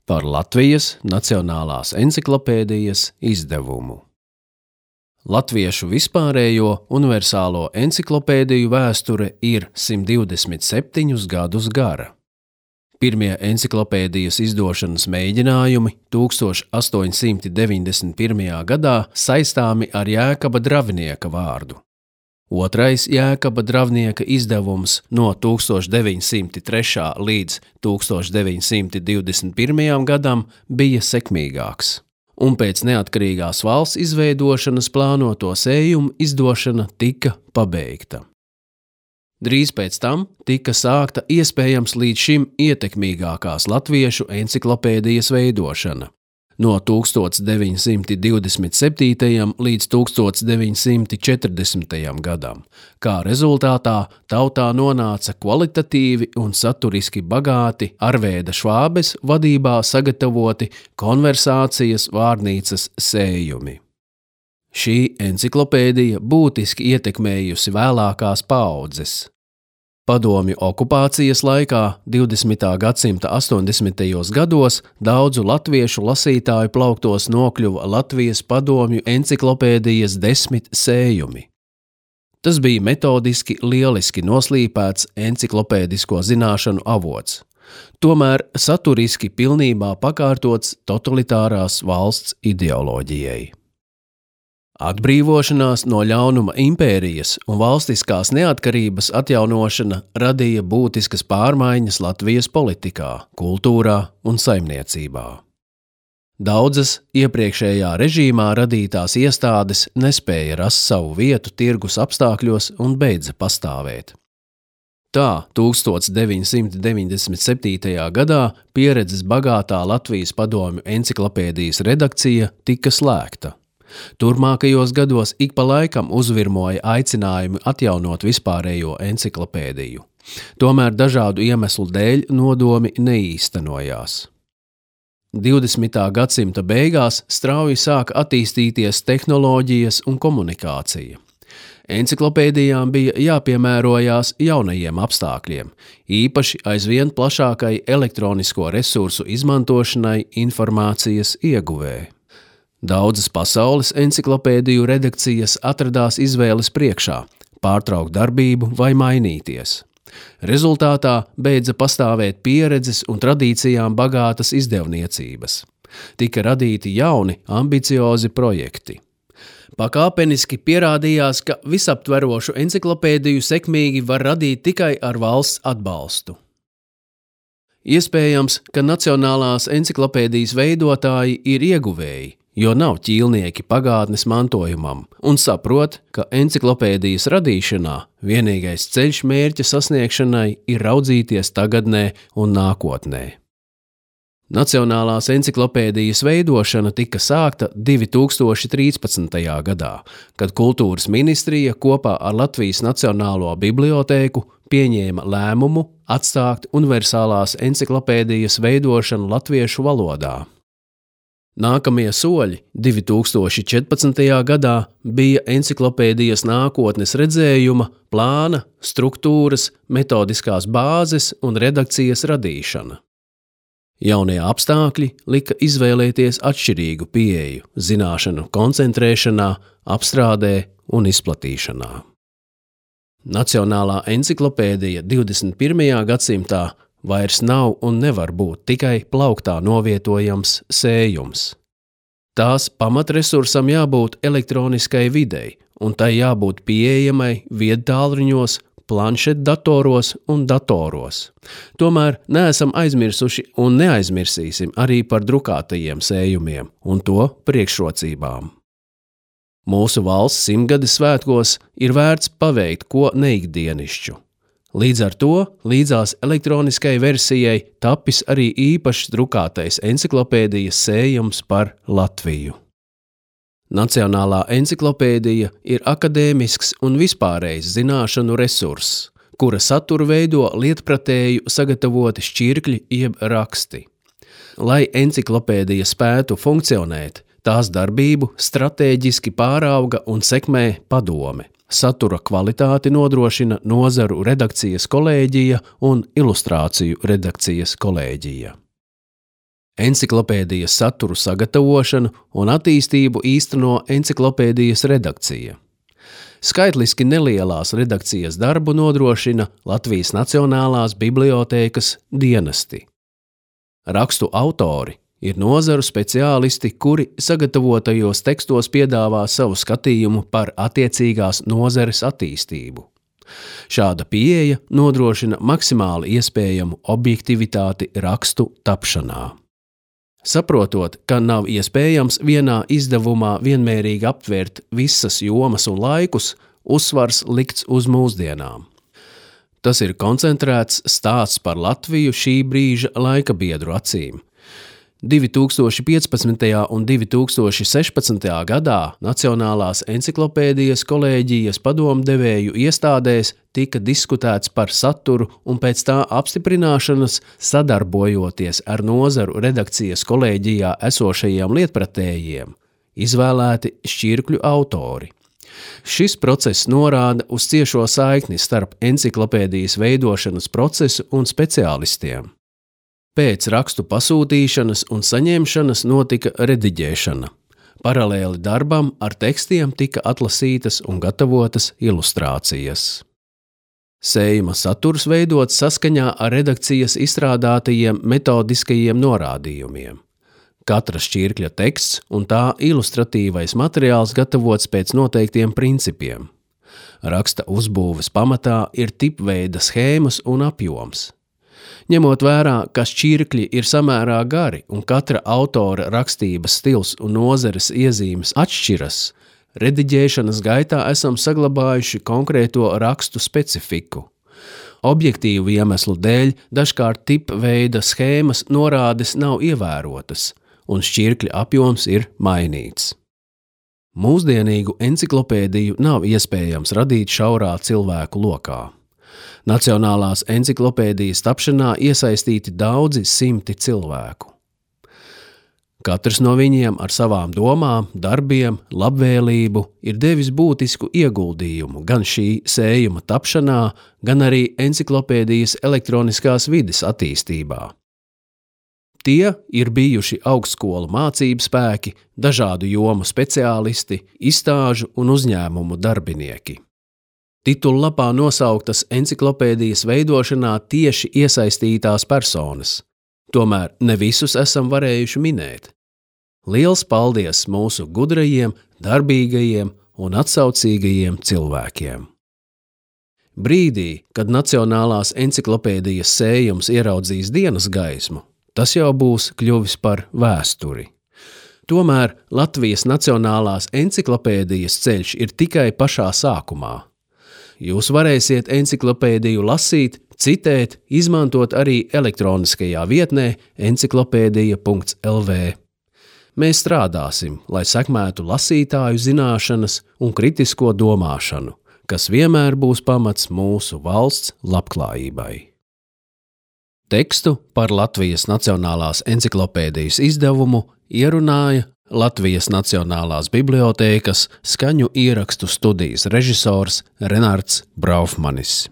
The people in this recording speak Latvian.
par Latvijas Nacionālās enciklopēdijas izdevumu. Latviešu vispārējo universālo enciklopēdiju vēsture ir 127 gadus gara. Pirmie enciklopēdijas izdošanas mēģinājumi 1891. gadā saistāmi ar Jēkaba Dravnieka vārdu. Otrais Jēkaba Dravnieka izdevums no 1903. līdz 1921. gadam bija sekmīgāks, un pēc neatkarīgās valsts izveidošanas plānoto sējumu izdošana tika pabeigta. Drīz pēc tam tika sākta iespējams līdz šim ietekmīgākās latviešu enciklopēdijas veidošana. No 1927. līdz 1940. gadam, kā rezultātā tautā nonāca kvalitatīvi un saturiski bagāti Arvēda Švābes vadībā sagatavoti konversācijas vārnīcas sējumi. Šī enciklopēdija būtiski ietekmējusi vēlākās paaudzes. Padomju okupācijas laikā 20. gadsimta 80. gados daudzu latviešu lasītāju plauktos nokļuva Latvijas padomju enciklopēdijas 10 sējumi. Tas bija metodiski lieliski noslīpēts enciklopēdisko zināšanu avots, tomēr saturiski pilnībā pakārtots totalitārās valsts ideoloģijai. Atbrīvošanās no ļaunuma impērijas un valstiskās neatkarības atjaunošana radīja būtiskas pārmaiņas Latvijas politikā, kultūrā un saimniecībā. Daudzas iepriekšējā režīmā radītās iestādes nespēja rast savu vietu tirgus apstākļos un beidza pastāvēt. Tā 1997. gadā pieredzes bagātā Latvijas padomju enciklopēdijas redakcija tika slēgta. Turmākajos gados ik pa laikam uzvirmoja aicinājumi atjaunot vispārējo enciklopēdiju. Tomēr dažādu iemeslu dēļ nodomi neīstenojās. 20. gadsimta beigās strauji sāka attīstīties tehnoloģijas un komunikācija. Enciklopēdijām bija jāpiemērojās jaunajiem apstākļiem, īpaši aizvien plašākai elektronisko resursu izmantošanai informācijas ieguvē. Daudzas pasaules enciklopēdiju redakcijas atradās izvēles priekšā – pārtraukt darbību vai mainīties. Rezultātā beidza pastāvēt pieredzes un tradīcijām bagātas izdevniecības. Tika radīti jauni, ambiciozi projekti. Pakāpeniski pierādījās, ka visaptverošu enciklopēdiju sekmīgi var radīt tikai ar valsts atbalstu. Iespējams, ka Nacionālās enciklopēdijas veidotāji ir ieguvēji, jo nav ķīlnieki pagātnes mantojumam un saprot, ka enciklopēdijas radīšanā vienīgais ceļš mērķa sasniegšanai ir raudzīties tagadnē un nākotnē. Nacionālās enciklopēdijas veidošana tika sākta 2013. gadā, kad Kultūras ministrija kopā ar Latvijas Nacionālo bibliotēku pieņēma lēmumu atstāt universālās enciklopēdijas veidošanu latviešu valodā. Nākamie soļi 2014. gadā bija enciklopēdijas nākotnes redzējuma, plāna, struktūras, metodiskās bāzes un redakcijas radīšana. Jaunie apstākļi lika izvēlēties atšķirīgu pieeju zināšanu koncentrēšanā, apstrādē un izplatīšanā. Nacionālā enciklopēdija 21. gadsimtā vairs nav un nevar būt tikai plauktā novietojams sējums. Tās pamatresursam jābūt elektroniskai videi, un tai jābūt pieejamai viedtālruņos, planšetdatoros un datoros. Tomēr neesam aizmirsuši un neaizmirsīsim arī par drukātajiem sējumiem un to priekšrocībām. Mūsu valsts 100-gades svētkos ir vērts paveikt ko neikdienišķu. Līdz ar to līdzās elektroniskai versijai tapis arī īpašs drukātais enciklopēdijas sējums par Latviju. Nacionālā enciklopēdija ir akadēmisks un vispārējs zināšanu resurss, kura saturu veido lietpratēju sagatavoti šķirkļi jeb raksti. Lai enciklopēdija spētu funkcionēt, tās darbību stratēģiski pārauga un sekmē padome. Satura kvalitāti nodrošina nozaru redakcijas kolēģija un ilustrāciju redakcijas kolēģija. Enciklopēdijas saturu sagatavošanu un attīstību īsteno enciklopēdijas redakcija. Skaitliski nelielās redakcijas darbu nodrošina Latvijas Nacionālās bibliotēkas dienesti. Rakstu autori ir nozaru speciālisti, kuri sagatavotajos tekstos piedāvā savu skatījumu par attiecīgās nozares attīstību. Šāda pieeja nodrošina maksimāli iespējamu objektivitāti rakstu tapšanā. Saprotot, ka nav iespējams vienā izdevumā vienmērīgi aptvert visas jomas un laikus, uzsvars likts uz mūsdienām. Tas ir koncentrēts stāsts par Latviju šī brīža laikabiedru acīm. 2015. un 2016. gadā Nacionālās enciklopēdijas kolēģijas padomdevēju iestādēs tika diskutēts par saturu un pēc tā apstiprināšanas sadarbojoties ar nozaru redakcijas kolēģijā esošajiem lietpratējiem, izvēlēti šķirkļu autori. Šis process norāda uz ciešo saikni starp enciklopēdijas veidošanas procesu un speciālistiem. Pēc rakstu pasūtīšanas un saņemšanas notika rediģēšana. Paralēli darbam ar tekstiem tika atlasītas un gatavotas ilustrācijas. Sējuma saturs veidots saskaņā ar redakcijas izstrādātajiem metodiskajiem norādījumiem. Katra šķirkļa teksts un tā ilustratīvais materiāls gatavots pēc noteiktiem principiem. Raksta uzbūves pamatā ir tipveida schēmas un apjoms. Ņemot vērā, ka šķirkļi ir samērā gari un katra autora rakstības stils un nozares iezīmes atšķiras, rediģēšanas gaitā esam saglabājuši konkrēto rakstu specifiku. Objektīvu iemeslu dēļ dažkārt tipveida schēmas norādes nav ievērotas, un šķirkļa apjoms ir mainīts. Mūsdienīgu enciklopēdiju nav iespējams radīt šaurā cilvēku lokā. Nacionālās enciklopēdijas tapšanā iesaistīti daudzi simti cilvēku. Katrs no viņiem ar savām domām, darbiem, labvēlību ir devis būtisku ieguldījumu gan šī sējuma tapšanā, gan arī enciklopēdijas elektroniskās vides attīstībā. Tie ir bijuši augstskolu mācību spēki, dažādu jomu speciālisti, izstāžu un uzņēmumu darbinieki. Titullapā nosauktas enciklopēdijas veidošanā tieši iesaistītās personas, tomēr ne visus esam varējuši minēt. Liels paldies mūsu gudrajiem, darbīgajiem un atsaucīgajiem cilvēkiem! Brīdī, kad Nacionālās enciklopēdijas sējums ieraudzīs dienas gaismu, tas jau būs kļuvis par vēsturi. Tomēr Latvijas Nacionālās enciklopēdijas ceļš ir tikai pašā sākumā. Jūs varēsiet enciklopēdiju lasīt, citēt, izmantot arī elektroniskajā vietnē enciklopēdija.lv. Mēs strādāsim, lai sekmētu lasītāju zināšanas un kritisko domāšanu, kas vienmēr būs pamats mūsu valsts labklājībai. Tekstu par Latvijas Nacionālās enciklopēdijas izdevumu ierunāja Latvijas Nacionālās bibliotēkas skaņu ierakstu studijas režisors Renards Braufmanis.